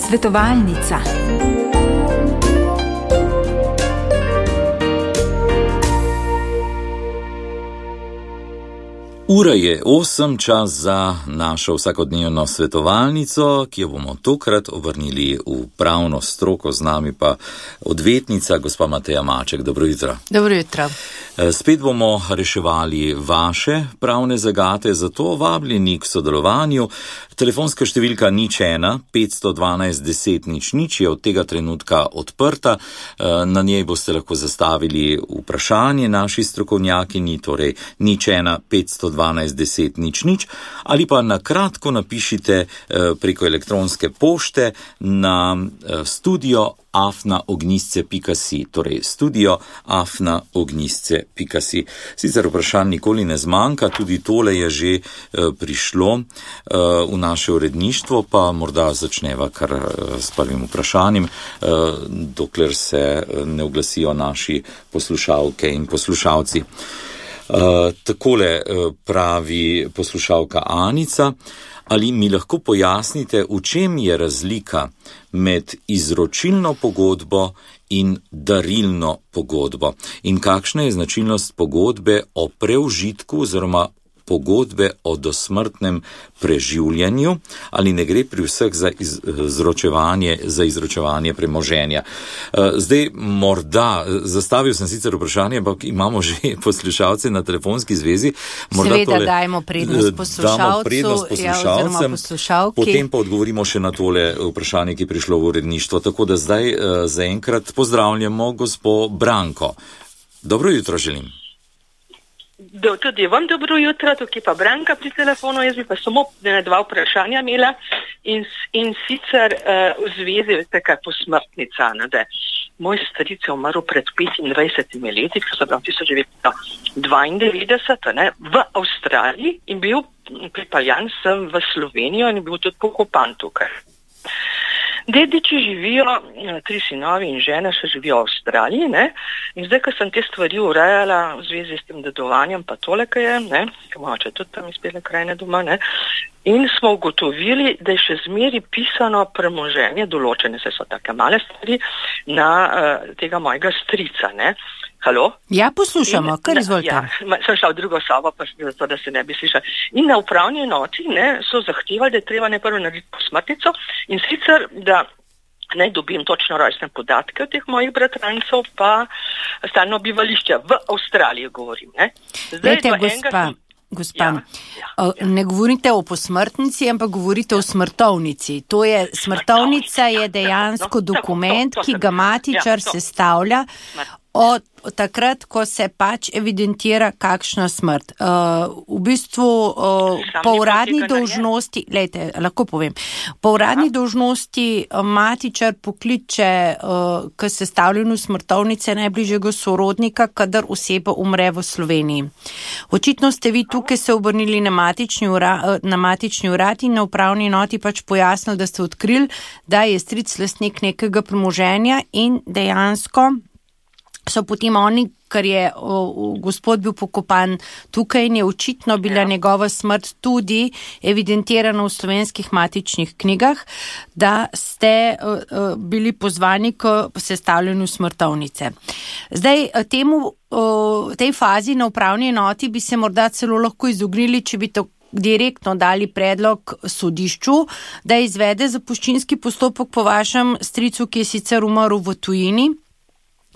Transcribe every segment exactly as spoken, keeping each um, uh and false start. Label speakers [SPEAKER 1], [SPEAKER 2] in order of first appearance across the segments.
[SPEAKER 1] Svetovalnica.
[SPEAKER 2] Ura je osem, čas za našo vsakodnevno svetovalnico, ki jo bomo tokrat obrnili v pravno stroko, z nami pa odvetnica gospa Mateja Maček. Dobro jutro.
[SPEAKER 3] Dobro jutro.
[SPEAKER 2] Spet bomo reševali vaše pravne zagate, zato vabljeni k sodelovanju. Telefonska številka nič ena petsto dvanajst deset nič nič je od tega trenutka odprta. Na njej boste lahko zastavili vprašanje naši strokovnjakinji, torej nič ena petsto dvanajst deset nič nič, ali pa na kratko napišite preko elektronske pošte na studio afna ognjisce pika si, torej studio afna ognjisce pika si. Sicer vprašanj nikoli ne zmanjka, tudi tole je že prišlo v naše uredništvo, pa morda začneva kar s prvim vprašanjem, dokler se ne oglasijo naši poslušalke in poslušalci. Uh, takole uh, pravi poslušalka Anica, ali mi lahko pojasnite, v čem je razlika med izročilno pogodbo in darilno pogodbo in kakšna je značilnost pogodbe o preužitku oziroma pogodbe o dosmrtnem preživljanju, ali ne gre pri vseh za izročevanje, za izročevanje premoženja. Zdaj, morda, zastavil sem sicer vprašanje, ampak imamo že poslušalce na telefonski zvezi. Morda
[SPEAKER 3] Seveda
[SPEAKER 2] tole,
[SPEAKER 3] dajmo prednost poslušalcu,
[SPEAKER 2] damo prednost poslušalcem,
[SPEAKER 3] ja, poslušalki.
[SPEAKER 2] Potem pa odgovorimo še na tole vprašanje, ki je prišlo v uredništvo. Tako da zdaj zaenkrat pozdravljamo gospo Branko. Dobro jutro želim.
[SPEAKER 4] Do, tudi vam dobro jutro, tukaj pa Branka pri telefonu, jaz bi pa samo dva vprašanja imela in, in sicer uh, v zvezi, veste kaj, posmrtnica, ne, da moj stric je umrl pred petindvajsetimi leti, ko so bila tisoč devetsto dvaindevetdeset, ne, v Avstraliji in bil pripeljan sem v Slovenijo in bil tudi pokopan tukaj. Dediči živijo, tri sinovi in žena še živijo v Avstraliji, ne, in zdaj, ko sem te stvari urejala v zvezi s tem dedovanjem, pa tole, kaj je, ne, ko moče tudi tam izpele krajne doma, ne, in smo ugotovili, da je še zmeri pisano premoženje, določene se so take male stvari, na uh, tega mojega strica, ne. Halo?
[SPEAKER 3] Ja, poslušamo, in, kar izvolite.
[SPEAKER 4] Ja, sem šla v drugo sobo, pa zato, da se ne bi slišali. In na upravni enoti, ne, so zahtevali, da je treba najprv narediti posmrtnico in sicer, da naj dobim točno rojstne podatke od teh mojih bratrancev, pa stalno bivališče v Avstraliji govorim, ne. Zdaj,
[SPEAKER 3] Lejte, gospa,
[SPEAKER 4] enega...
[SPEAKER 3] gospa,
[SPEAKER 4] ja, ja, ja.
[SPEAKER 3] ne govorite o posmrtnici, ampak govorite o smrtovnici. To je, smrtovnica je dejansko dokument, ki ga matičar sestavlja od takrat, ko se pač evidentira kakšna smrt. Uh, v bistvu uh, po uradni dolžnosti, lejte, lahko povem, po uradni dolžnosti uh, matičar pokliče uh, k sestavljanju smrtovnice najbližjega sorodnika, kadar oseba umre v Sloveniji. Očitno ste vi tukaj se obrnili na matični, ura, na matični urad in na upravni enoti pač pojasnili, da ste odkrili, da je stric lastnik nekega premoženja in dejansko so potem oni, ker je o, o, gospod bil pokopan tukaj in je očitno bila ja. njegova smrt tudi evidentirana v slovenskih matičnih knjigah, da ste o, o, bili pozvani k sestavljanju smrtovnice. Zdaj, temu, o, tej fazi na upravni enoti bi se morda celo lahko izognili, če bi to direktno dali predlog sodišču, da izvede zapuščinski postopek po vašem stricu, ki je sicer umrl v tujini,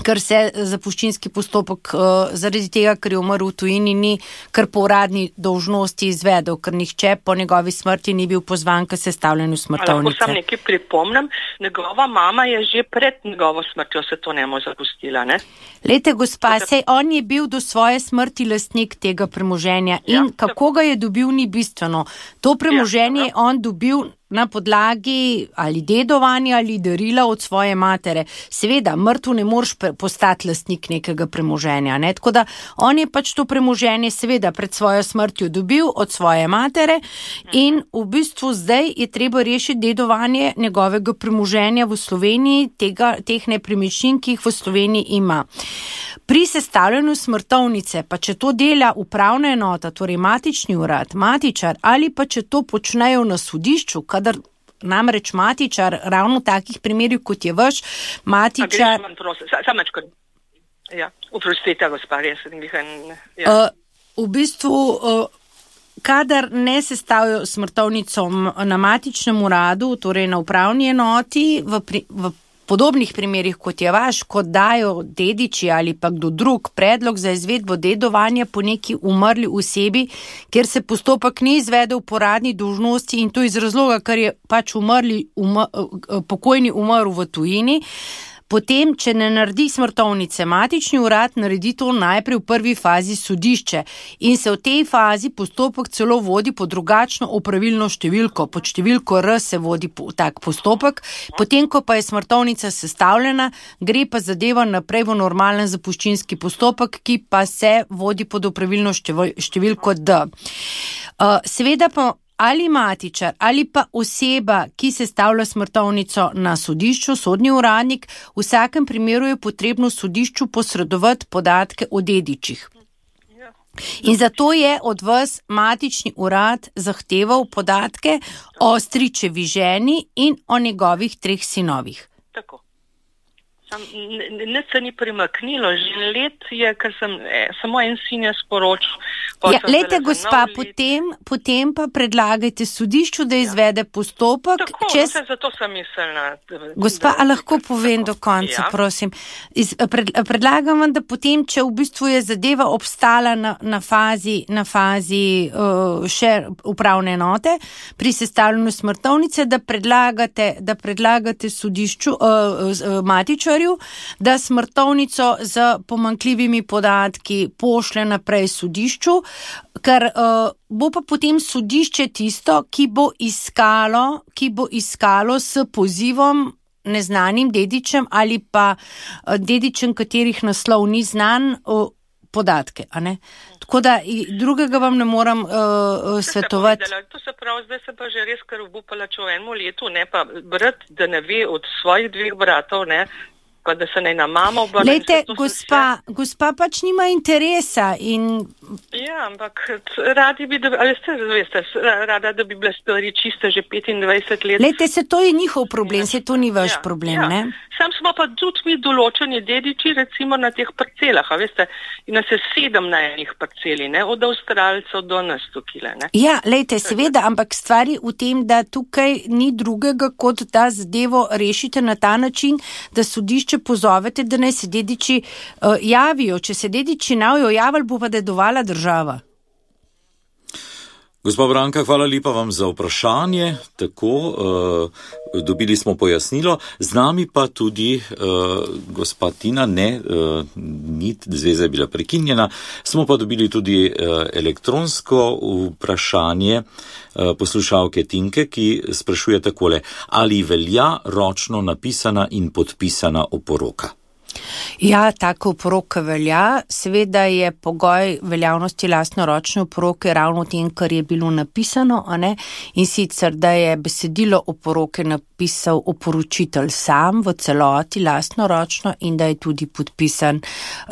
[SPEAKER 3] ker se zapuščinski postopek uh, zaradi tega, ker je umrl v tujini, ni kar po uradni dolžnosti izvedel, ker nihče po njegovi smrti ni bil pozvan k sestavljanju smrtovnice.
[SPEAKER 4] Lahko sam nekaj pripomnem, njegova mama je že pred njegovo smrtjo se to nemo zapustila, ne?
[SPEAKER 3] Lejte, gospa, sej on je bil do svoje smrti lastnik tega premoženja in ja, kako ga je dobil, ni bistveno. To premoženje je ja, on dobil na podlagi ali dedovanja ali darila od svoje matere. Seveda, mrtv ne moreš postati lastnik nekega premoženja, ne? Tako da on je pač to premoženje seveda pred svojo smrtjo dobil od svoje matere in v bistvu zdaj je treba rešiti dedovanje njegovega premoženja v Sloveniji, tega, teh nepremičnin, ki jih v Sloveniji ima. Pri sestavljanju smrtovnice, pa če to dela upravna enota, torej matični urad, matičar, ali pa če to počnejo na sodišču, kadar namreč Matičar, ravno v takih primerih, kot je vaš, Matičar...
[SPEAKER 4] A, prosim, samačko. Ja, uprostite, gospod, jaz sem jih en... Ja.
[SPEAKER 3] Uh, v bistvu, uh, kadar ne sestavijo smrtovnico na matičnem uradu, torej na upravni enoti, v, pri, v podobnih primerih, kot je vaš, kot dajo dediči ali pa kdo drug predlog za izvedbo dedovanja po neki umrli osebi, kjer se postopek ni izvedel po uradni dolžnosti in to iz razloga, ker je pač umrli, umr, pokojni umrl v tujini, potem, če ne naredi smrtovnice matični urad, naredi to najprej v prvi fazi sodišče in se v tej fazi postopek celo vodi po drugačno opravilno številko. Pod številko R se vodi tak postopek, potem, ko pa je smrtovnica sestavljena, gre pa zadeva naprej v normalen zapuščinski postopek, ki pa se vodi pod opravilno številko D. Seveda pa ali matičar, ali pa oseba, ki sestavlja smrtovnico na sodišču, sodni uradnik, v vsakem primeru je potrebno sodišču posredovati podatke o dedičih. In zato je od vas matični urad zahteval podatke o stričevi ženi in o njegovih treh sinovih.
[SPEAKER 4] Tako. Nič se ni premaknilo, že let je, ker sem eh, samo en sin je sporočil.
[SPEAKER 3] Ja, lejte, gospa, potem, potem pa predlagajte sodišču, da izvede postopek.
[SPEAKER 4] Tako,
[SPEAKER 3] čez...
[SPEAKER 4] no, zato sem mislila.
[SPEAKER 3] Gospa, a lahko povem do konca, ja. prosim. Iz, pred, predlagam vam, da potem, če v bistvu je zadeva obstala na, na fazi, na fazi uh, še upravne enote, pri sestavljanju smrtovnice, da predlagate, da predlagate sodišču, uh, uh, matičarju, da smrtovnico z pomanjkljivimi podatki pošlje naprej sodišču, ker uh, bo pa potem sodišče tisto, ki bo iskalo, ki bo iskalo s pozivom neznanim dedičem ali pa uh, dedičem, katerih naslov ni znan, uh, podatke, a ne? Tako da drugega vam ne moram uh, svetovati.
[SPEAKER 4] To se pravi, zdaj se pa že res kar obupala, če v enem letu, ne pa brat, da ne ve od svojih dveh bratov, ne, pa da se ne na mamo obrne.
[SPEAKER 3] Lejte, gospa, vse... gospa pač nima interesa in...
[SPEAKER 4] Ja, ampak radi bi, da, ali ste, veste, rada, da bi bile stvari čiste že petindvajset let.
[SPEAKER 3] Lejte, se to je njihov problem, se to ni vaš
[SPEAKER 4] ja,
[SPEAKER 3] problem,
[SPEAKER 4] ja.
[SPEAKER 3] ne?
[SPEAKER 4] Sam smo pa tudi mi določeni dediči, recimo na teh parcelah, a veste, in nas je sedem na enih parceli, ne, od Avstralcev do nas tukile, ne.
[SPEAKER 3] Ja, lejte, seveda, ampak stvari v tem, da tukaj ni drugega, kot da zadevo rešite na ta način, da sodišče pozovete, da naj se dediči uh, javijo. Če se dediči navijo javili, bo pa dedovala država.
[SPEAKER 2] Gospa Branka, hvala lepa vam za vprašanje. Tako, uh, dobili smo pojasnilo. Z nami pa tudi uh, gospa Tina, ne, uh, nit zveza je bila prekinjena. Smo pa dobili tudi uh, elektronsko vprašanje uh, poslušalke Tinke, ki sprašuje takole, ali velja ročno napisana in podpisana oporoka?
[SPEAKER 3] Ja, tako oporoka velja. Seveda je pogoj veljavnosti lastnoročne oporoke ravno v tem, kar je bilo napisano, a ne? In sicer, da je besedilo oporoke napisal oporočitelj sam v celoti lastnoročno in da je tudi podpisan,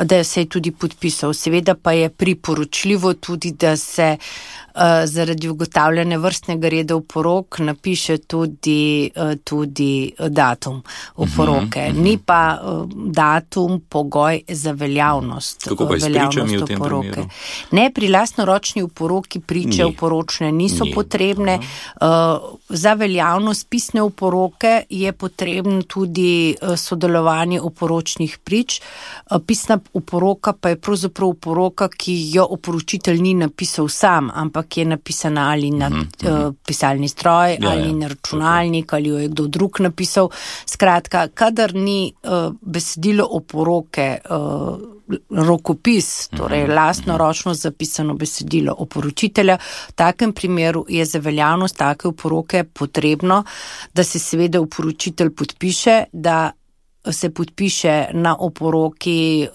[SPEAKER 3] da se je tudi podpisal. Seveda pa je priporočljivo tudi, da se uh, zaradi ugotavljanja vrstnega reda oporok napiše tudi, uh, tudi datum oporoke. Uh-huh, uh-huh. Ni pa uh, datum pogoj za veljavnost.
[SPEAKER 2] Kako pa je s pričami v tem primeru?
[SPEAKER 3] Ne, pri lastnoročni oporoki priče Ni. oporočne niso Ni. potrebne. Uh, za veljavnost pisne oporoke je potrebno tudi uh, sodelovanje oporočnih prič. Uh, pisna oporoka pa je pravzaprav oporoka, ki jo oporočitelj ni napisal sam, ampak je napisana ali na uh-huh, uh, pisalni stroj, ja, ali ja, na računalnik, okay. ali jo je kdo drug napisal. Skratka, kadar ni uh, besedilo oporoke uh, rokopis, torej lastnoročno zapisano besedilo oporočitelja, v takem primeru je za veljavnost take oporoke potrebno, da se seveda oporočitelj podpiše, da se podpiše na oporoki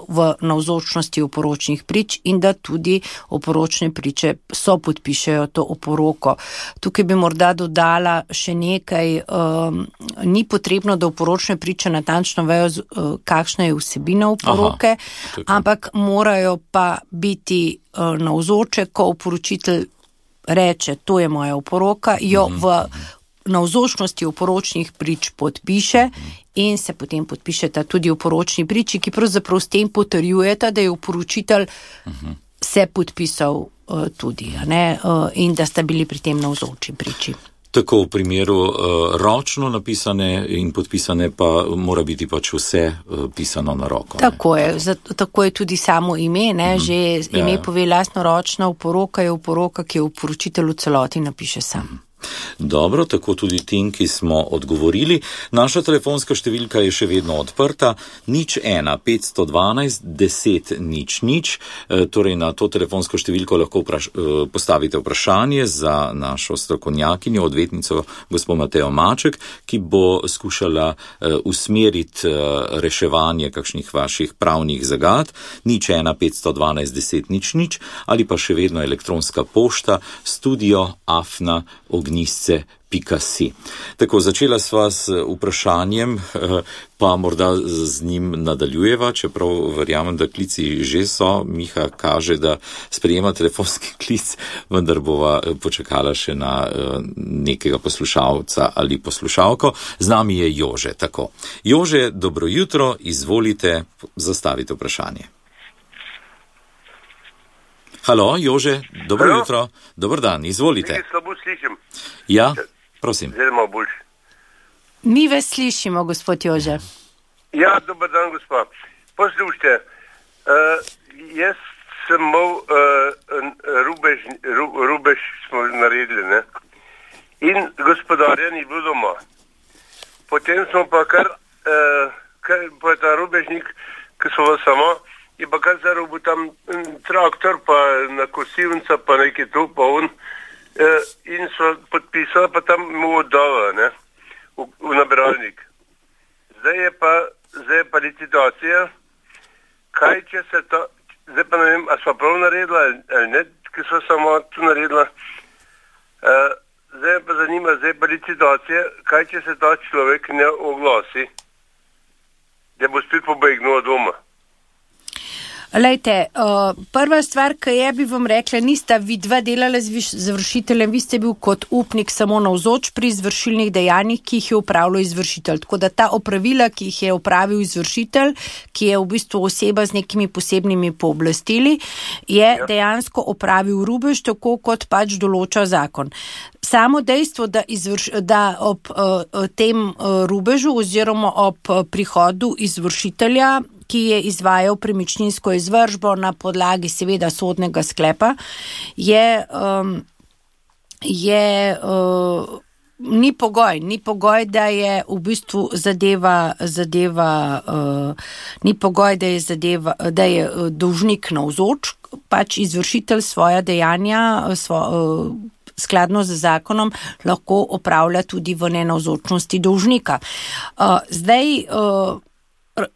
[SPEAKER 3] v navzočnosti oporočnih prič in da tudi oporočne priče so podpišejo to oporoko. Tukaj bi morda dodala še nekaj, um, ni potrebno, da oporočne priče natančno vejo, uh, kakšna je vsebina oporoke, Aha, ampak morajo pa biti uh, navzoče, ko oporočitelj reče, to je moja oporoka, jo v navzočnosti oporočnih prič podpiše in se potem podpišeta tudi oporočni priči, ki pravzaprav s tem potrjujeta, da je oporočitelj se podpisal uh, tudi, ne, uh, in da sta bili pri tem navzoči priči.
[SPEAKER 2] Tako v primeru uh, ročno napisane in podpisane pa mora biti pač vse uh, pisano na roko.
[SPEAKER 3] Tako je, zato, tako je tudi samo ime, ne, mm-hmm. že ime ja, ja. pove lastno ročna oporoka, je oporoka, ki je oporočitelj v celoti napiše sam. Mm-hmm.
[SPEAKER 2] Dobro, tako tudi tem, ki smo odgovorili. Naša telefonska številka je še vedno odprta, nič ena, petsto dvanajst, deset, nič, nič. E, torej na to telefonsko številko lahko vpraš, e, postavite vprašanje za našo strokovnjakinjo, odvetnico gospod Matejo Maček, ki bo skušala e, usmeriti e, reševanje kakšnih vaših pravnih zagad, nič ena, petsto dvanajst, deset, nič, nič, ali pa še vedno elektronska pošta studio afna ognisce pika si. Tako, začela sva s vprašanjem, pa morda z njim nadaljujeva, čeprav verjamem, da klici že so. Miha kaže, da sprejema telefonski klic, vendar bova počakala še na nekega poslušalca ali poslušalko. Z nami je Jože, tako. Jože, dobro jutro, izvolite, zastavite vprašanje. Halo, Jože, dobro Halo. jutro, dober dan, izvolite.
[SPEAKER 1] Mi slabo slišim.
[SPEAKER 2] Ja, prosim.
[SPEAKER 1] Zdaj malo boljše.
[SPEAKER 3] Mi vas slišimo, gospod Jože.
[SPEAKER 1] Ja, dober dan, gospod. Poslušajte, uh, jaz sem mal uh, rubež, ru, rubež smo naredili, ne? In gospodarja ni bilo doma. Potem smo pa kar, uh, kar pa ta rubežnik, ki so vas samo, je pa kar zarobil tam traktor, pa na kosilnica, pa nekaj tu, pa on, eh, in so podpisali, pa tam mu oddala, ne, v, v nabiralnik. Zdaj je pa, zdaj je pa licitacija, kaj če se to, zdaj pa ne vem, a sva prav naredila, ali ne, ki so samo tu naredila, eh, zdaj pa zanima, zdaj pa licitacija, kaj če se ta človek ne oglasi, da bo spet pobegnil od doma.
[SPEAKER 3] Lejte, uh, prva stvar, ki je, bi vam rekla, nista vi dva delala z izvršiteljem, vi ste bil kot upnik samo navzoč pri izvršilnih dejanjih, ki jih je upravljal izvršitelj. Tako da ta opravila, ki jih je upravil izvršitelj, ki je v bistvu oseba z nekimi posebnimi pooblastili, je ja. dejansko opravil rubež, tako kot pač določa zakon. Samo dejstvo, da, izvrš, da ob uh, tem uh, rubežu oziroma ob uh, prihodu izvršitelja, ki je izvajal premičninsko izvršbo na podlagi seveda sodnega sklepa, je, um, je uh, ni pogoj, ni pogoj, da je v bistvu zadeva, zadeva uh, ni pogoj, da je zadeva, da je dolžnik navzoč, pač izvršitelj svoja dejanja, svo, uh, skladno z zakonom, lahko opravlja tudi v nenavzočnosti dolžnika. Uh, zdaj, uh,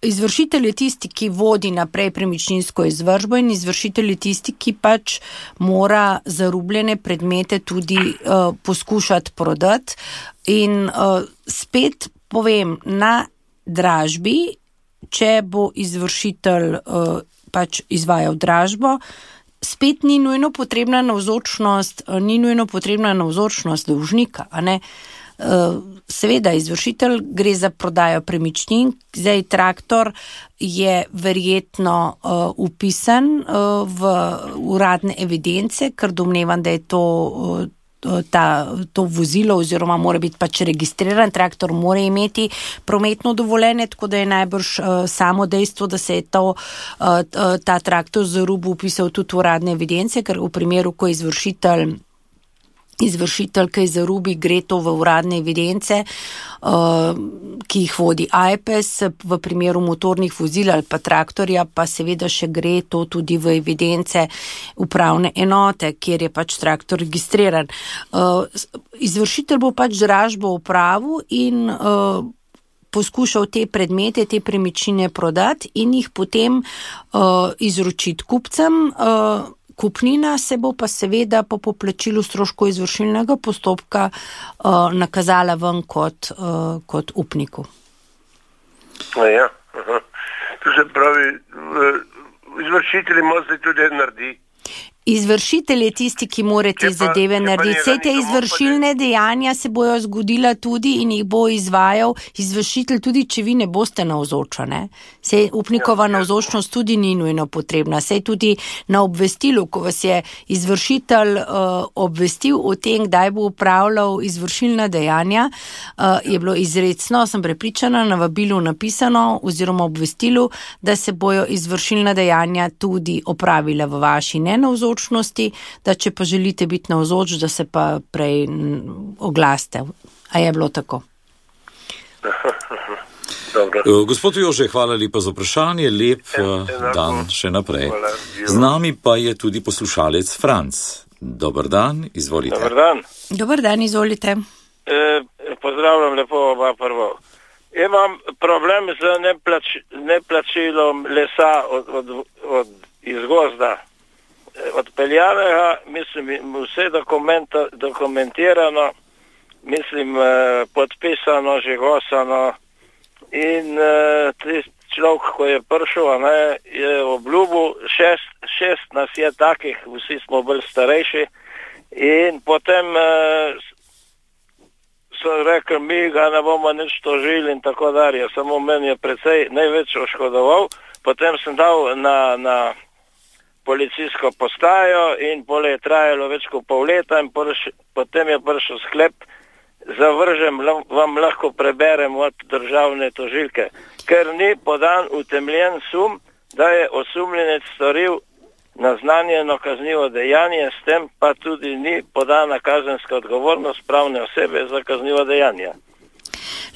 [SPEAKER 3] Izvršitelj je tisti, ki vodi naprej premičninsko izvršbo in izvršitelj je tisti, ki pač mora zarubljene predmete tudi uh, poskušati prodati. In uh, spet povem, na dražbi, če bo izvršitelj uh, pač izvajal dražbo, spet ni nujno potrebna navzočnost, uh, ni nujno potrebna navzočnost dolžnika, a ne? Seveda, izvršitelj gre za prodajo premičnin, zdaj traktor je verjetno uh, upisan uh, v uradne evidence, ker domnevam, da je to, uh, ta, to vozilo oziroma mora biti pač registriran, traktor mora imeti prometno dovoljenje, tako da je najbrž uh, samo dejstvo, da se je to, uh, ta traktor za rubu upisal tudi v uradne evidence, ker v primeru, ko izvršitelj Izvršitelj, ki zarubi, gre to v uradne evidence, uh, ki jih vodi A J P E S, v primeru motornih vozil ali pa traktorja, pa seveda še gre to tudi v evidence upravne enote, kjer je pač traktor registriran. Uh, izvršitelj bo pač dražbo upravil in uh, poskušal te predmete, te premičnine prodati in jih potem uh, izročiti kupcem. Uh, Kupnina se bo pa seveda po poplačilu stroškov izvršilnega postopka uh, nakazala ven kot, uh, kot upniku.
[SPEAKER 1] Ja, aha. To se pravi, izvršitelj ima zdaj tudi naredi.
[SPEAKER 3] Izvršitelj je tisti, ki mora te zadeve narediti. Vse te izvršilne dejanja se bojo zgodila tudi in jih bo izvajal izvršitelj, tudi če vi ne boste navzoča. Sej upnikova navzočnost tudi ni nujno potrebna. Sej tudi na obvestilu, ko vas je izvršitelj uh, obvestil o tem, kdaj bo upravljal izvršilna dejanja, uh, je bilo izrecno, sem prepričana, na vabilu napisano oziroma obvestilu, da se bojo izvršilna dejanja tudi opravila v vaši nenavzočnosti, da če pa želite biti navzoč, da se pa prej oglaste. A je bilo tako?
[SPEAKER 1] Dobro.
[SPEAKER 2] Gospod Jože, hvala lepa za vprašanje, lep en, dan še naprej. Z nami pa je tudi poslušalec Franc. Dobar dan, izvolite.
[SPEAKER 5] Dobar dan.
[SPEAKER 3] Dobar dan, izvolite.
[SPEAKER 5] E, pozdravljam lepo oba prvo. Imam problem z neplač, neplačilom lesa od, od, od iz gozda. Odpeljanega, mislim, vse dokumentirano, mislim, podpisano, žigosano in človek, ko je prišel, ne, je obljubil, šest, šest nas je takih, vsi smo bolj starejši in potem so rekli, mi ga ne bomo nič tožili in tako dalje, samo meni je precej največ oškodoval, potem sem dal na, na policijsko postajo in pole je trajalo več kot pol leta in prš, potem je prišel sklep, zavržem, vam lahko preberem od državne tožilke, ker ni podan utemljen sum, da je osumljenec storil naznanjeno kaznivo dejanje, s tem pa tudi ni podana kazenska odgovornost pravne osebe za kaznivo dejanje.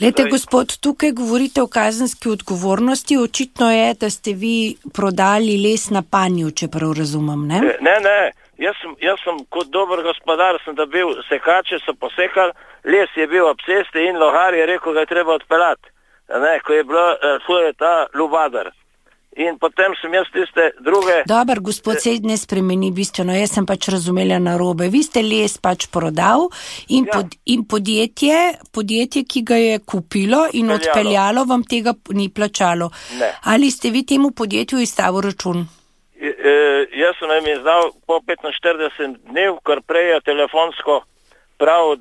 [SPEAKER 3] Lete, gospod, tukaj govorite o kazenski odgovornosti, očitno je, da ste vi prodali les na panju, če prav razumem, ne?
[SPEAKER 5] Ne, ne, jaz sem, jaz sem kot dober gospodar, sem dobil sekače, so posekali, les je bil ob cesti in lohar je rekel, ga je treba odpeljati, ne, ko je bilo, to je ta lubadar. In potem sem jaz tiste druge...
[SPEAKER 3] Dobar, gospod, se ne spremeni bistveno, jaz sem pač razumela narobe. Vi ste les pač prodal in, ja. pod, in podjetje, podjetje, ki ga je kupilo in odpeljalo, odpeljalo vam tega ni plačalo.
[SPEAKER 5] Ne.
[SPEAKER 3] Ali ste vi temu podjetju izstavil račun?
[SPEAKER 5] E, e, jaz sem jim izdal po petinštirideset dnev, kar prej je telefonsko prav,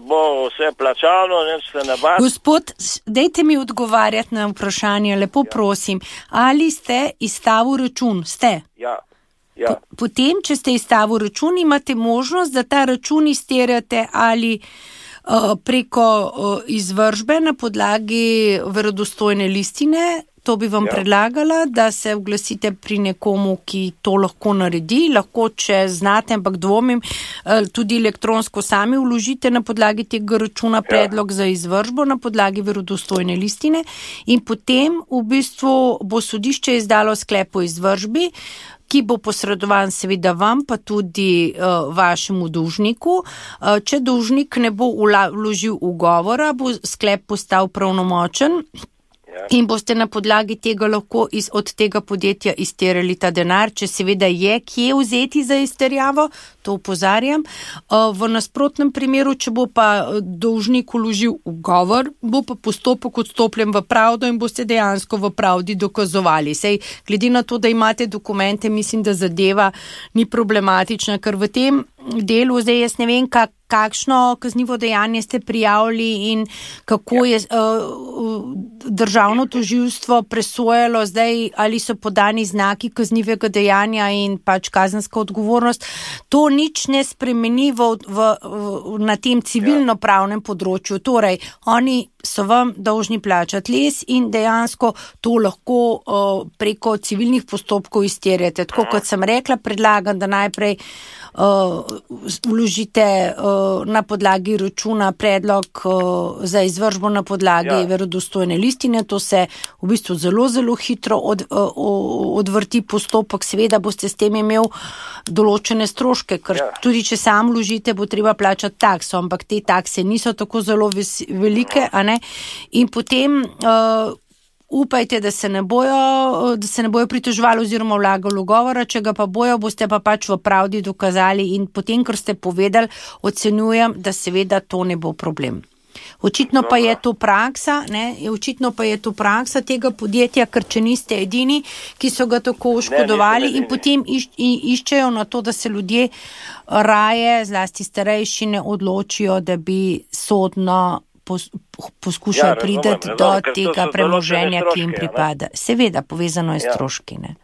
[SPEAKER 5] bo vse plačano, neč se ne bati.
[SPEAKER 3] Gospod, dejte mi odgovarjati na vprašanje, lepo ja. prosim. Ali ste izstavil račun? Ste?
[SPEAKER 5] Ja. ja.
[SPEAKER 3] Potem, če ste izstavil račun, imate možnost, da ta račun izterjate ali uh, preko uh, izvršbe na podlagi verodostojne listine. To bi vam ja. predlagala, da se oglasite pri nekomu, ki to lahko naredi. Lahko, če znate, ampak dvomim, tudi elektronsko sami vložite na podlagi tega računa predlog ja. za izvršbo na podlagi verodostojne listine in potem v bistvu bo sodišče izdalo sklep o izvršbi, ki bo posredovan seveda vam, pa tudi uh, vašemu dolžniku. Uh, če dolžnik ne bo vložil ugovora, bo sklep postal pravnomočen. In boste na podlagi tega lahko iz, od tega podjetja izterjali ta denar, če seveda je kje vzeti za izterjavo, to opozarjam. V nasprotnem primeru, če bo pa dolžnik vložil ugovor, bo pa postopek odstopljen v pravdo in boste dejansko v pravdi dokazovali. Sej, glede na to, da imate dokumente, mislim, da zadeva ni problematična, ker v tem delu, zdaj jaz ne vem, kak, kakšno kaznivo dejanje ste prijavili in kako je uh, državno tožilstvo presojalo zdaj, ali so podani znaki kaznivega dejanja in pač kazenska odgovornost. To nič ne spremeni v, v, v, na tem civilno-pravnem področju. Torej, oni so vam dolžni plačati les in dejansko to lahko uh, preko civilnih postopkov izterjate. Tako kot sem rekla, predlagam, da najprej uh, vložite uh, na podlagi računa predlog uh, za izvršbo na podlagi ja. verodostojne listine. To se v bistvu zelo, zelo hitro od, uh, odvrti postopek. Seveda boste s tem imel določene stroške, ker ja. tudi če sam vložite, bo treba plačati takso, ampak te takse niso tako zelo ves, velike, a ne? In potem uh, upajte, da se ne bojo, da se ne bojo pritoževali oziroma vlagali ugovora, če ga pa bojo, boste pa pač v pravdi dokazali in potem, kar ste povedali, ocenjujem, da seveda to ne bo problem. Očitno pa je to praksa, ne, očitno pa je to praksa tega podjetja, ker če niste edini, ki so ga tako oškodovali in potem iš, iščejo na to, da se ljudje raje, zlasti starejši, ne odločijo, da bi sodno pos, poskušali ja, priti do tega premoženja, ki jim pripada. Ne? Seveda, povezano je s stroški, ne.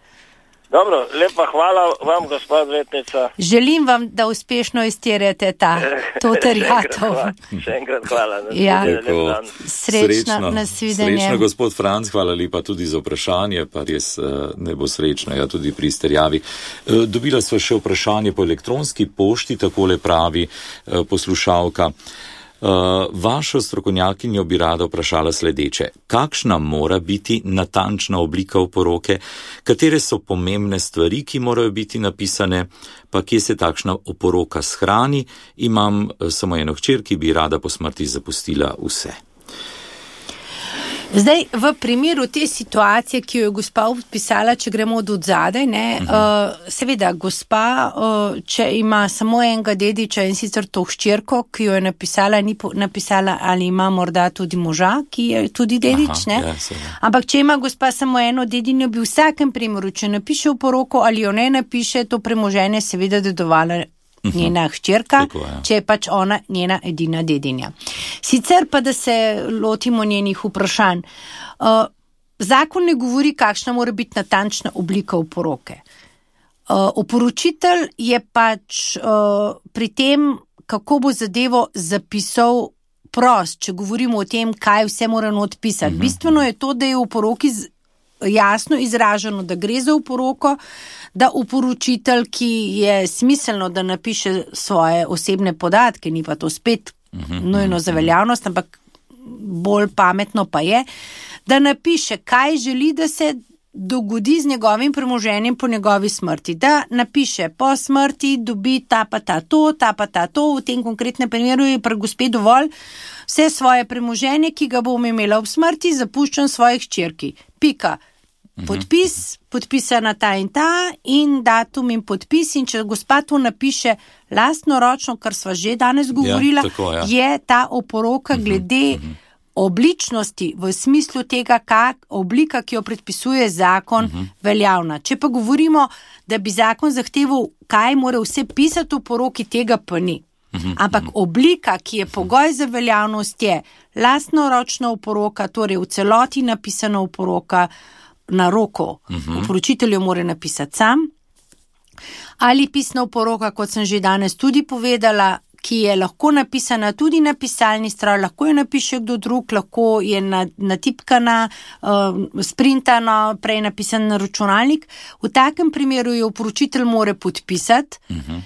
[SPEAKER 5] Dobro, lepa hvala vam, gospod odvetnica.
[SPEAKER 3] Želim vam, da uspešno izterjate ta, to terjatov.
[SPEAKER 5] Še enkrat hvala.
[SPEAKER 3] Ja. Srečno, nasvidenje.
[SPEAKER 2] Srečno, gospod Franc, hvala lepa tudi za vprašanje, pa res ne bo srečno, ja, tudi pri izterjavi. Dobila sva še vprašanje po elektronski pošti, takole pravi poslušalka. Uh, vašo strokovnjakinjo bi rada vprašala sledeče. Kakšna mora biti natančna oblika oporoke? Katere so pomembne stvari, ki morajo biti napisane? Pa kje se takšna oporoka shrani? Imam uh, samo eno hčer, ki bi rada po smrti zapustila vse.
[SPEAKER 3] Zdaj, v primeru te situacije, ki jo je gospa opisala, če gremo od odzadaj, ne, uh, seveda, gospa, uh, če ima samo enega dediča in sicer to hčerko, ki jo je napisala, ni po, napisala, ali ima morda tudi moža, ki je tudi dedič, ne.
[SPEAKER 2] Aha, ja,
[SPEAKER 3] ampak če ima gospa samo eno dedinjo, bi v vsakem primeru, če napiše oporoko ali jo ne napiše, to premoženje seveda dedovala njena hčerka, če je pač ona njena edina dedinja. Sicer pa, da se lotimo njenih vprašanj. Uh, zakon ne govori, kakšna mora biti natančna oblika oporoke. Uh, oporočitelj je pač uh, pri tem, kako bo zadevo zapisal prost, če govorimo o tem, kaj vse mora not pisati. Uh-huh. Bistveno je to, da je v oporoki z, jasno izraženo, da gre za oporoko, da oporočitelj, ki je smiselno, da napiše svoje osebne podatke, ni pa to spet uh-huh, nujno za veljavnost, ampak bolj pametno pa je, da napiše, kaj želi, da se dogodi z njegovim premoženjem po njegovi smrti. Da napiše, po smrti dobi ta pa ta to, ta pa ta to, v tem konkretnem primeru je pri gospe dovolj vse svoje premoženje, ki ga bom imela ob smrti, zapuščam svojih hčerki. Pika. Podpis, podpisana ta in ta in datum in podpis in če gospa to napiše lastnoročno, kar sva že danes govorila, ja, tako, ja. je ta oporoka glede uh-huh, uh-huh. obličnosti v smislu tega, kak oblika, ki jo predpisuje zakon, uh-huh. veljavna. Če pa govorimo, da bi zakon zahteval, kaj mora vse pisati v oporoki, tega pa ni. Uh-huh, Ampak uh-huh. oblika, ki je pogoj za veljavnost, je lastnoročna oporoka, torej v celoti napisana oporoka, na roko, uh-huh. oporočitelj jo mora napisati sam, ali pisna oporoka, kot sem že danes tudi povedala, ki je lahko napisana tudi na pisalni stroj, lahko jo napiše kdo drug, lahko je natipkana, uh, sprintana, prej napisan na računalnik. V takem primeru jo oporočitelj mora podpisati uh-huh.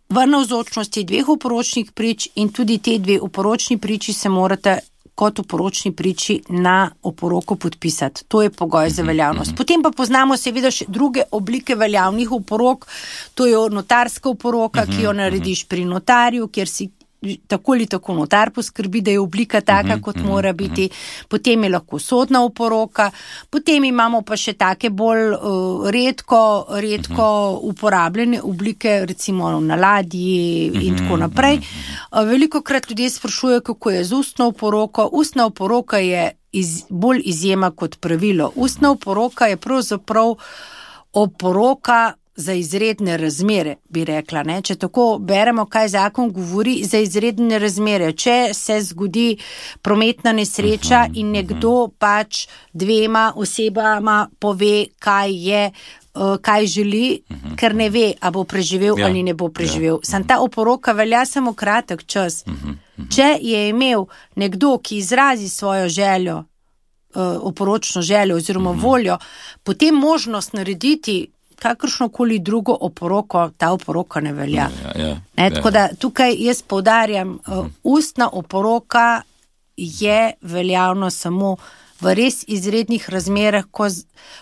[SPEAKER 3] v navzočnosti dveh oporočnih prič in tudi te dve oporočni priči se morate kot oporočni priči na oporoko podpisati. To je pogoj za veljavnost. Potem pa poznamo seveda še druge oblike veljavnih oporok, to je notarska oporoka, ki jo narediš pri notarju, kjer si tako ali tako notar poskrbi, da je oblika taka, kot mora biti. Potem je lahko sodna oporoka, potem imamo pa še take bolj uh, redko, redko uporabljene oblike, recimo na ladji in tako naprej. Uh, velikokrat ljudje sprašujejo, kako je z ustno oporoko. Ustna oporoka je iz, bolj izjema kot pravilo. Ustna oporoka je pravzaprav oporoka za izredne razmere, bi rekla, ne? Če tako beremo, kaj zakon govori za izredne razmere. Če se zgodi prometna nesreča in nekdo pač dvema osebama pove, kaj je, kaj želi, ker ne ve, a bo preživel ja, ali ne bo preživel. Ja. Sam ta oporoka velja samo kratek čas. Če je imel nekdo, ki izrazi svojo željo, oporočno željo oziroma voljo, potem možnost narediti kakršnokoli drugo oporoko, ta oporoka ne velja.
[SPEAKER 2] Ja, ja,
[SPEAKER 3] ne, tako da tukaj jaz poudarjam, uh, ustna oporoka je veljavno samo v res izrednih razmerah, ko,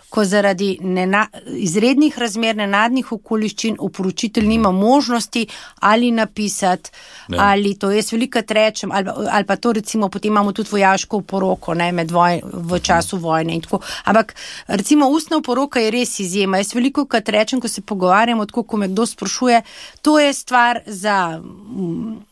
[SPEAKER 3] ko zaradi nena, izrednih razmer, nenadnih okoliščin oporočitelj nima možnosti ali napisati, ne. ali to jaz velikrat rečem, ali, ali pa to recimo potem imamo tudi vojaško oporoko, ne, med voj, v času vojne in tako. Ampak recimo ustna oporoka je res izjema. Jaz velikokrat rečem, ko se pogovarjamo, tako ko me kdo sprašuje, to je stvar za... Mm,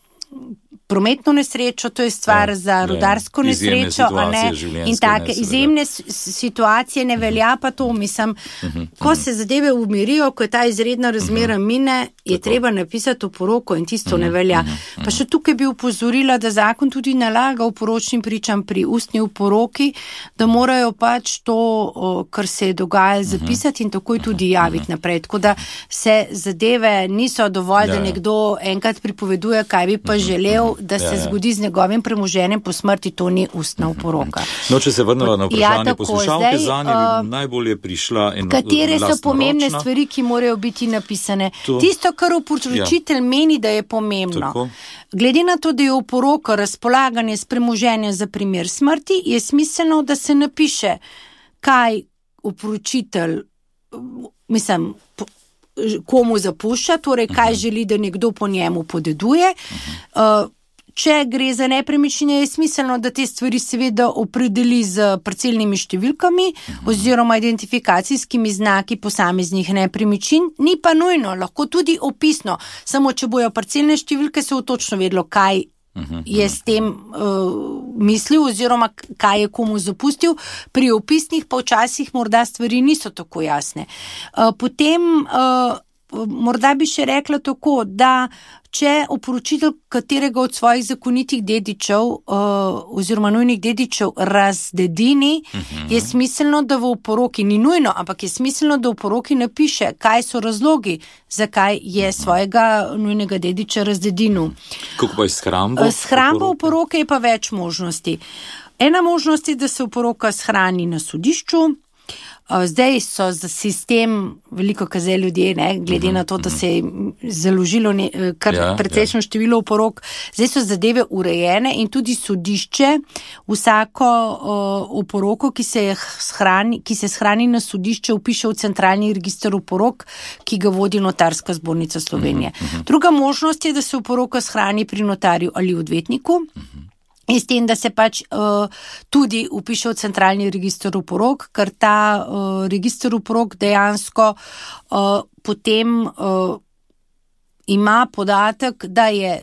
[SPEAKER 3] prometno nesrečo, to je stvar ja, za rudarsko ja, nesrečo, a ne, in take izjemne situacije ne velja pa to, mislim, uh-huh, ko uh-huh. se zadeve umirijo, ko je ta izredna razmera uh-huh. mine, je Tako. treba napisati oporoko in tisto uh-huh, ne velja. Uh-huh, pa še tukaj bi upozorila, da zakon tudi nalaga oporočnim pričam pri ustni oporoki, da morajo pač to, kar se je dogajalo, zapisati in takoj tudi javiti naprej. Tako da se zadeve niso dovolj, ja, da nekdo enkrat pripoveduje, kaj bi pa želel, da se ja, ja. zgodi z njegovim premoženjem po smrti, to ni ustna oporoka.
[SPEAKER 2] No, če se vrnemo na vprašanje ja, poslušalke, zanje bi najbolje prišla eno
[SPEAKER 3] katere so pomembne ročna. stvari, ki morajo biti napisane. To. Tisto, kar oporočitelj ja. meni, da je pomembno. Tako. Glede na to, da je oporoka razpolaganje s premoženjem za primer smrti, je smiselno, da se napiše, kaj oporočitelj, mislim, komu zapušča, torej kaj želi, da nekdo po njemu podeduje. Uh, če gre za nepremičnine, je smiselno, da te stvari seveda opredeli z parcelnimi številkami oziroma identifikacijskimi znaki posameznih nepremičnin. Ni pa nujno, lahko tudi opisno, samo če bojo parcelne številke, se bo točno vedlo, kaj je s tem uh, mislil oziroma kaj je komu zapustil. Pri opisnih pa včasih morda stvari niso tako jasne. Uh, potem uh, morda bi še rekla tako, da če oporočitelj katerega od svojih zakonitih dedičev uh, oziroma nujnih dedičev razdedini, uh-huh. je smiselno, da v oporoki, ni nujno, ampak je smiselno, da v oporoki napiše, kaj so razlogi, zakaj je svojega nujnega dediča razdedinil.
[SPEAKER 2] Kako pa je s hrambo?
[SPEAKER 3] S hrambo oporoke je pa več možnosti. Ena možnost je, da se oporoka shrani na sodišču. Zdaj so za sistem veliko kazali ljudje, ne, glede uh-huh, na to, da uh-huh. se je založilo ne, kar ja, precejšnjo ja. število oporok. Zdaj so zadeve urejene in tudi sodišče vsako uh, oporoko, ki se, shrani, ki se shrani na sodišče, upiše v centralni register oporok, ki ga vodi Notarska zbornica Slovenije. Uh-huh, uh-huh. Druga možnost je, da se oporoka shrani pri notarju ali odvetniku. Uh-huh. In s tem, da se pač uh, tudi upiše v centralni register oporok, ker ta uh, register oporok dejansko uh, potem uh, ima podatek, da je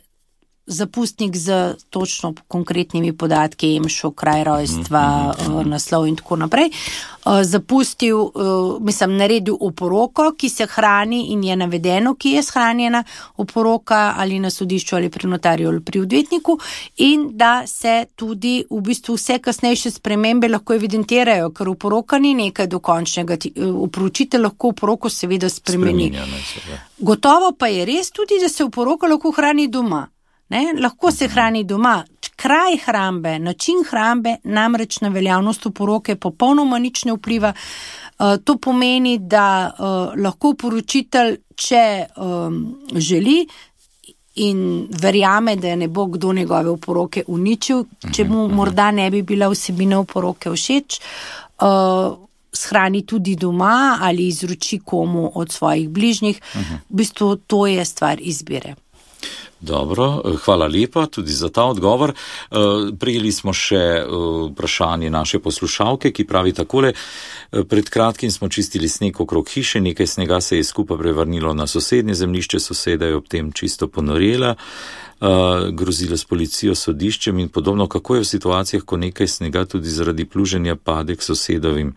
[SPEAKER 3] zapustnik z točno konkretnimi podatki, emšo, kraj rojstva, uh, naslov in tako naprej, uh, zapustil, uh, mislim, naredil oporoko, ki se hrani in je navedeno, ki je shranjena oporoka ali na sodišču ali pri notarju ali pri odvetniku, in da se tudi v bistvu vse kasnejše spremembe lahko evidentirajo, ker oporoka ni nekaj dokončnega. Oporočitelj lahko oporoko seveda spremeni. Gotovo pa je res tudi, da se oporoka lahko hrani doma. Ne, lahko se hrani doma. Kraj hrambe, način hrambe namreč na veljavnost oporoke popolnoma nič ne vpliva. Uh, to pomeni, da uh, lahko poročitelj, če um, želi in verjame, da ne bo kdo njegove oporoke uničil, če mu morda ne bi bila vsebina oporoke všeč, uh, shrani tudi doma ali izroči komu od svojih bližnjih. V bistvu to je stvar izbire.
[SPEAKER 2] Dobro, hvala lepa tudi za ta odgovor. Prijeli smo še vprašanje naše poslušalke, ki pravi takole: pred kratkim smo čistili sneg okrog hiše, nekaj snega se je skupaj prevrnilo na sosednje zemljišče, soseda je ob tem čisto ponorela, grozila s policijo, sodiščem in podobno. Kako je v situacijah, ko nekaj snega tudi zaradi pluženja pade k sosedovim?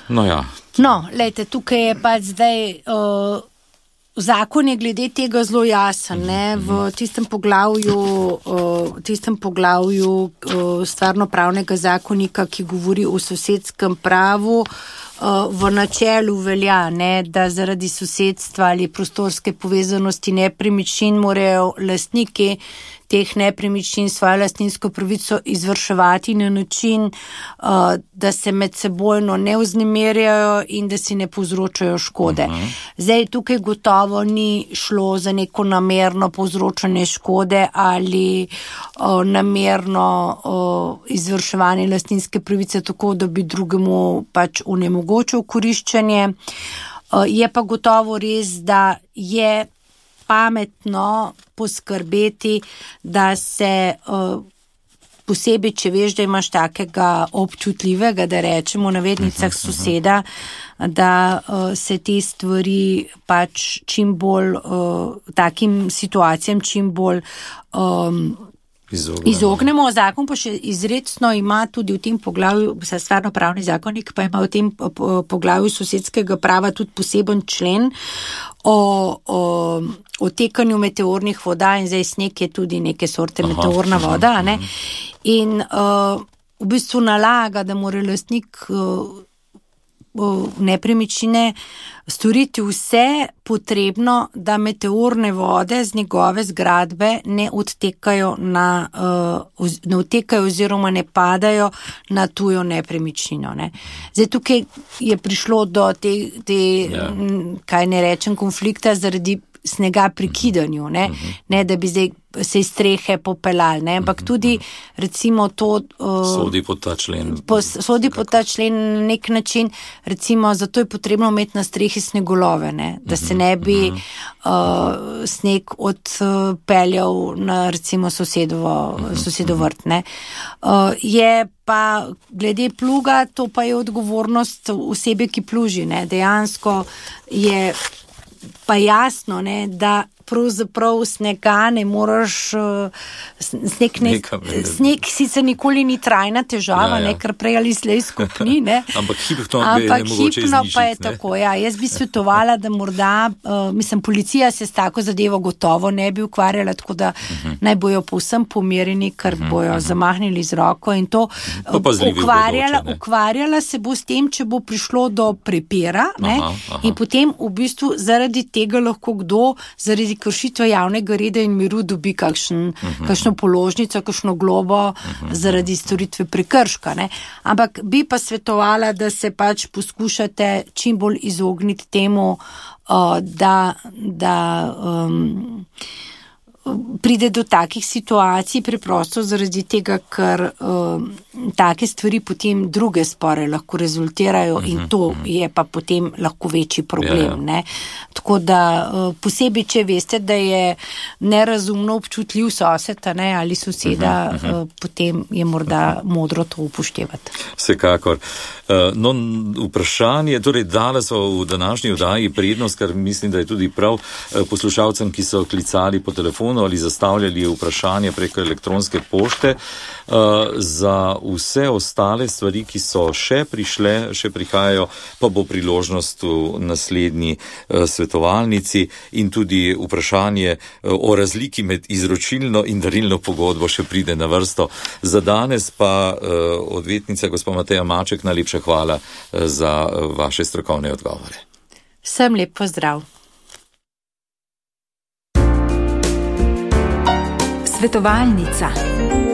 [SPEAKER 2] No ja.
[SPEAKER 3] No, lejte, tukaj je pa zdaj... Uh... Zakon je glede tega zelo jasen, ne? V tistem poglavju, uh, tistem poglavju uh, stvarnopravnega zakonika, ki govori o sosedskem pravu, uh, v načelu velja, ne, da zaradi sosedstva ali prostorske povezanosti nepremičnin morajo lastniki teh nepremičnin svojo lastninsko pravico izvrševati na način, uh, da se med sebojno ne vznemirjajo in da si ne povzročajo škode. Uh-huh. Zdaj, tukaj gotovo ni šlo za neko namerno povzročanje škode ali uh, namerno uh, izvrševanje lastninske pravice tako, da bi drugemu pač onemogočil koriščenje. Uh, je pa gotovo res, da je pametno poskrbeti, da se uh, posebej, če veš, da imaš takega občutljivega, da rečemo v navednicah soseda, da uh, se te stvari pač čim bolj, uh, takim situacijam čim bolj um, Izognemo. Izognemo. Zakon pa še izredno ima tudi v tem poglavju, stvarno pravni zakonik pa ima v tem poglavju sosedskega prava tudi poseben člen o, o, o tekanju meteornih voda in zdaj sneg je tudi neke sorte aha, meteorna aha, voda. Ne? In uh, v bistvu nalaga, da mora lastnik uh, nepremičnine storiti vse potrebno, da meteorne vode z njegove zgradbe ne odtekajo na, uh, ne odtekajo oziroma ne padajo na tujo nepremičnino. Ne. Zdaj tukaj je prišlo do te, te ja. kaj ne rečem, konflikta zaradi snega pri kidanju, ne, ne da bi zdaj se iz strehe popelali, ne, ampak tudi recimo to uh,
[SPEAKER 2] sodi pod ta člen.
[SPEAKER 3] Po, sodi pod ta člen na nek način, recimo zato je potrebno imeti na strehi snegolove, ne, da se ne bi uh, sneg odpeljal na recimo sosedovo, sosedovo vrt, ne. Uh, je pa glede pluga, to pa je odgovornost osebe, ki pluži, ne, dejansko je pa jasno, ne, da pravzaprav snega ne moraš, sneg, ne, sneg sicer nikoli ni trajna težava, ja, ja. Ne, ker prej ali slej skupni, ne.
[SPEAKER 2] Ampak hipno,
[SPEAKER 3] Ampak
[SPEAKER 2] je
[SPEAKER 3] hipno pa je tako, ja. Jaz bi svetovala, da morda, uh, mislim, policija se s tako zadevo gotovo ne bi ukvarjala, tako da uh-huh. naj bojo povsem pomirjeni, ker uh-huh. bojo zamahnili z roko in to uh, ukvarjala, bodoče, ukvarjala se bo s tem, če bo prišlo do prepira, ne, aha, aha. in potem v bistvu zaradi tega lahko kdo, zaradi kršitve javnega reda in miru dobi kakšen, uh-huh. kakšno položnico, kakšno globo uh-huh. zaradi storitve prekrška. Ne. Ampak bi pa svetovala, da se pač poskušate čim bolj izogniti temu, uh, da, da um, pride do takih situacij preprosto zaradi tega, ker uh, take stvari potem druge spore lahko rezultirajo uh-huh, in to uh-huh. je pa potem lahko večji problem. Yeah. Ne? Tako da uh, posebej, če veste, da je nerazumno občutljiv sosed ne, ali soseda, uh-huh, uh-huh. Uh, potem je morda modro to upoštevati.
[SPEAKER 2] Vsekakor. Uh, no, vprašanje, torej dala so v današnji oddaji prednost, kar mislim, da je tudi prav uh, poslušalcem, ki so klicali po telefonu ali zastavljali vprašanje preko elektronske pošte. Uh, za vse ostale stvari, ki so še prišle, še prihajajo, pa bo priložnost v naslednji uh, svetovalnici in tudi vprašanje uh, o razliki med izročilno in darilno pogodbo še pride na vrsto. Za danes pa uh, odvetnica gospa Mateja Maček, najlepša hvala uh, za uh, vaše strokovne odgovore.
[SPEAKER 3] Vsem lep pozdrav.
[SPEAKER 6] Svetovalnica.